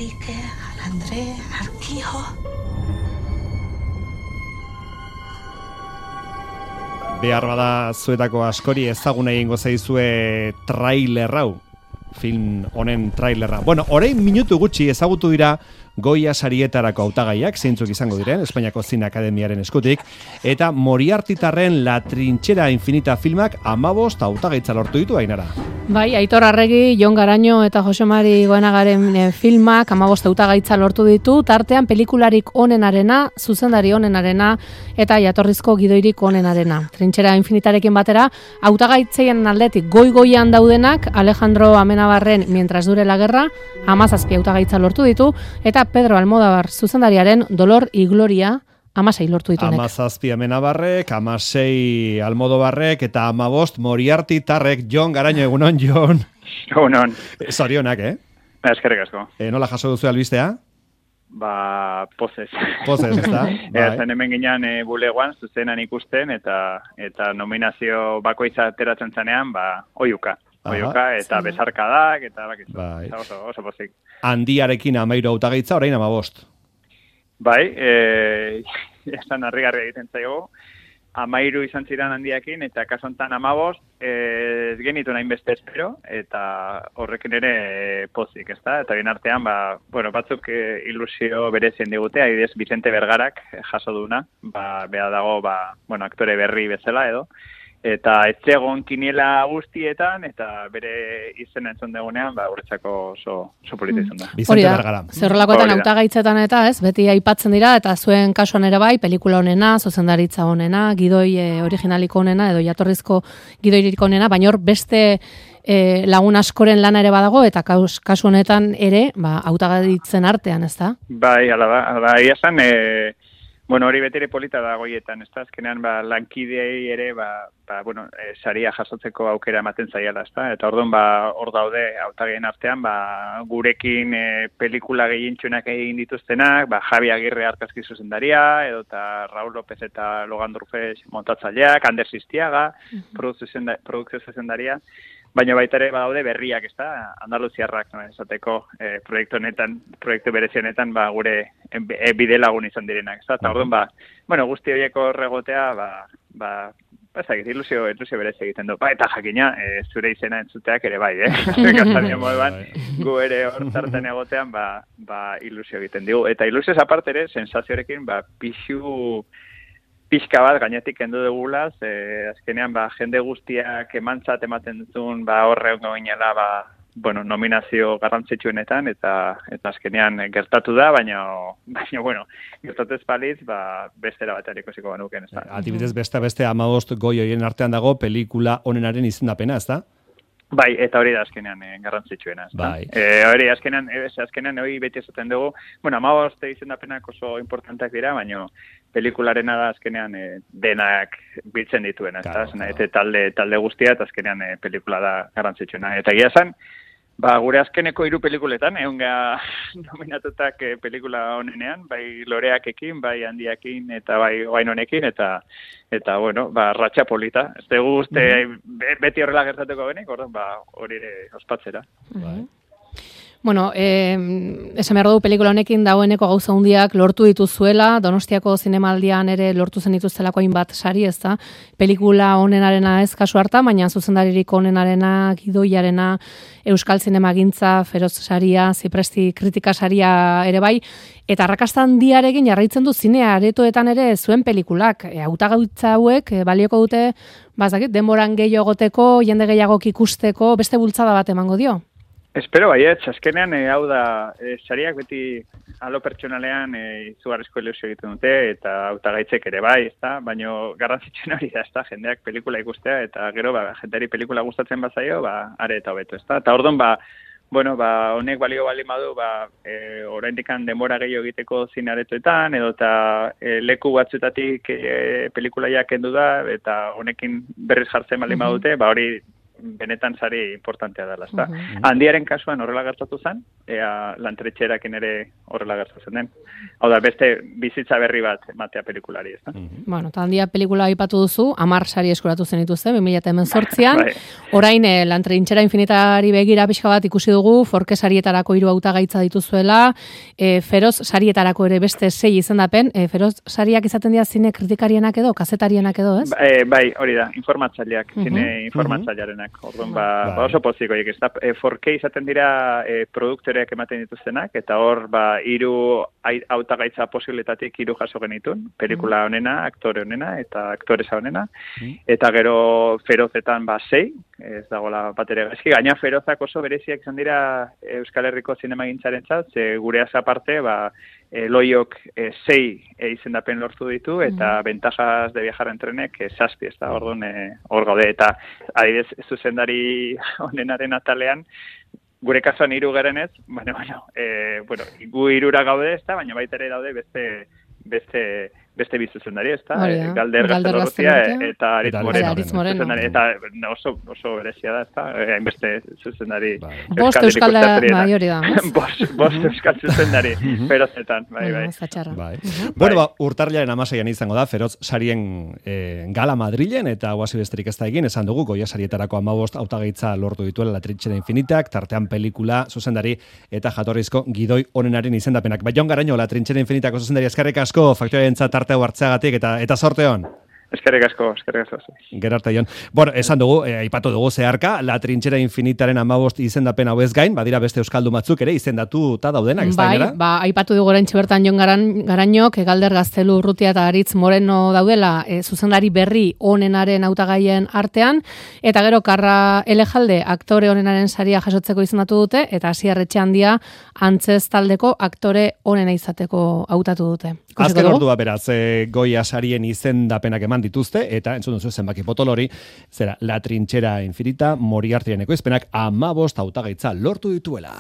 Enrique, al André, al Quijo. Behar bada zuetako askori ezaguna egingo zaizue trailer hau, film honen trailerra. Bueno, orain minutu gutxi ezagutu dira Goya sarietarako hautagaiak, zeintzuk izango diren, Espainiako Zine Akademiaren eskutik, eta Moriartitarren La Trinchera Infinita filmak 15 hautagaitza lortu ditu, Ainara. Bai, Aitor Arregi, Jon Garaño eta Jose Mari Goenagaren filmak 15 hautagaitza lortu ditu, tartean pelikularik onenarena, zuzendari onenarena eta jatorrizko gidoirik onenarena. Trinchera Infinitarekin batera, hautagaitzeien aldetik goi-goian daudenak Alejandro Amenabarren Mientras dure la guerra, 17 hautagaitza lortu ditu, eta Pedro Almodóvar zuzendariaren Dolor y Gloria 16 lortu dituenek. 17 Amenabarrek, 16 Almodóvarrek eta 15 Moriartitarrek. Jon Garaño, egunon, Jon. Egunon. Zorionak, Eskerrik asko. Nola jaso duzu albistea? Pozez. Pozez, ezta? Zen hemen ginean bulegoan, zuzenan ikusten, eta nominazio bakoitza ateratzen zanean, oiuka. Oiuka, eta besarkadak, eta bakizu. Bai. Oso pozik. Handiarekin 13 hautagaitza, orain 15. Bai, esan harrigarria egiten zaigu. 13 izan ziren handiakin, eta kasu honetan 15, ez genitu nahin beste espero, eta horrekin ere pozik, ezta? Eta bien artean, batzuk ilusio berezien digute, adibidez Vicente Bergarak jaso duna, beha dago, aktore berri bezala edo, eta etxegon kiniela guztietan, eta bere izena entzun dugunean, guretzako oso polita izan da. Vicente Bergara. Zerrolakoetan hautagaitzetan eta beti aipatzen dira, eta zuen kasuan ere bai, pelikula honena, zuzendaritza honena, gidoi originaliko honena, edo jatorrizko gidoirik honena, baina hor beste lagun askoren lana ere badago, eta kasu honetan ere, hautagaitzen artean, ez da? Bai, ala, esan, hori betire polita da goietan, ez da, azkenean, lankidei ere, saria jasotzeko aukera ematen zaiala, ez da, eta orduan, hor daude, hautagien artean, gurekin pelikula gehientxunak egin dituztenak, Javi Agirre argazki zuzendaria, edo eta Raúl López eta Logan Durfes montatzaileak, Ander Sistiaga, produkzio zuzendaria, baina baita ere badaude berriak, ez da, Andaluziarrak, esateko proiektu berezionetan, gure bide lagun izan direnak, ez da, eta orduan, guzti horieko horregotea, ilusio berezi egiten du. Eta jakina, zure izena entzuteak ere bai, Gaztania moduan, gu ere hor tartan egotean, ilusio egiten digu. Eta ilusioz aparte ere, sensazioarekin, pixka bat gainetik kendu dugulaz, azkenean, jende guztiak emantzat ematen duzun, horre ongo ginela, nominazio garrantzitsuenetan, eta azkenean gertatu da, baina gertatu ez paliz, bestera bat erikosiko banuken, ez da. Adibidez, beste 15 goi horien artean dago pelikula honenaren izendapena, ez da? Bai, eta hori da azkenean garrantzitsuena, ez da. Bai. Hori azkenean hori beti esaten dugu, 15 izendapenak oso importanteak dira, baina pelikularena da azkenean denak biltzen dituena, ez da. Eta talde guztia, eta azkenean pelikula da garrantzitsuena. Eta gira zen, gure azkeneko 3 pelikuletan, egonga nominatutak pelikula honenean, bai loreakekin, bai handiakin, eta bai oainonekin, eta ratxa polita. Ez dugu uste beti horrela gertatuko benik, hori ere ospatzera. Bai. Bueno, esan behar dugu pelikula honekin dagoeneko gauza hundiak lortu dituzuela, Donostiako zinemaldian ere lortu zen dituztelako hainbat sari, ez da? Pelikula honenarena ez kasu hartan, baina zuzendaririk honenarena, gidoiarena, Euskal Zinemagintza, Feroz saria, Zipresti kritika saria ere bai, eta arrakasta handiarekin jarraitzen du zinea aretoetan ere zuen pelikulak. Hautagaitza hauek balioko dute, denboran gehiago egoteko, jende gehiagok ikusteko, beste bultzada bat emango dio? Espero baietz, azkenean hau da, sariak beti alo pertsonalean izugarrizko ilusio egiten dute, eta hautagaitzek ere bai, ezta? Baina garrantzitsuena hori da, ezta? Jendeak pelikula ikustea, eta gero, jendeari pelikula gustatzen bazaio, are eta hobeto, ezta? Eta orduan, honek balio baldin badu, oraindikan denbora gehiago egiteko zine aretoetan, edo eta leku batzuetatik pelikulaiak kendu da, eta honekin berriz jartzen baldin badute, hori benetan sari importantea dela, ezta? Handiaren kasuan horrela gertatu zen, ea lantretxerakin ere horrela gertatzen den. Hau da, beste bizitza berri bat ematea pelikulari, ezta? Bueno, eta handia pelikula aipatu duzu, 10 sari eskuratu zenituzte, 2018an, orain Lantrinchera infinitari begira pixka bat ikusi dugu, Forke sarietarako 3 hautagaitza dituzuela, Feroz sarietarako ere beste 6 izendapen, Feroz sariak izaten dira zine kritikarienak edo, kazetarienak edo, ez? Bai, hori da, informatzaileak, zine informatzailearenak. Orduan, oso poziko, ez da, Forke izaten dira produktoreak ematen dituztenak, eta hor, 3 hautagaitza posibiletatik 3 jaso genitun, pelikula honena, aktore honena, eta aktoresa honena, eta gero Ferozetan 6, ez dagoela bat ere gaizki, gaina Ferozak oso bereziak izan dira Euskal Herriko zinemagintzarentzat, ze gureaz aparte, Loiok 6 izendapen lortu ditu, eta Ventajas de viajar en trenek 7, ez da, orduan hor gaude, eta adibidez zuzendari honenaren atalean, gure kasuan 3 gerenez, bueno, gu 3 gaude, ez da, baina baita ere daude beste bizuzendari, ez da, Galder Gaztelorruzia eta Aritz Moreno. Eta oso berezia da, ez da, hainbeste zuzendari. Bost Euskal hori da. Bost Euskal zuzendari, Ferozetan, bai. Bueno, urtarrilaren 16an izango da, Feroz sarien gala Madrilen, eta guazi besterik ez da egin, esan dugu, Goya sarietarako 15 hautagaitza lortu dituela Lantrinchera infinitak, tartean pelikula, zuzendari, eta jatorrizko gidoi onenaren izendapenak. Jon Garaño, Lantrinchera infinitako zuzendari, eskerrik asko, faktoriarentzat tarte hartzeagatik eta sorte hon. Eskerrik asko. Gerarte Jon. Bueno, esan dugu, aipatu dugu zeharka, Lantrinchera infinitaren 15 izendapen hauez gain, badira beste euskaldun batzuk ere izendatuta daudenak, ez da inera? Aipatu dugu oraintxe bertan Jon Garañok, Galder Gaztelu Urrutia eta Aritz Moreno daudela, zuzendari berri onenaren hautagaien artean, eta gero Karra Elejalde aktore onenaren saria jasotzeko izendatu dute, eta Asier Etxeandia antzez taldeko aktore onena izateko hautatu dute. Azken ordua beraz, Goya sarien izendapenak eman dituzte, eta entzun duzu zenbaki potolori, zera, Lantrinchera infinita, Moriartyren ekoizpenak 15 hautagaitza lortu dituela.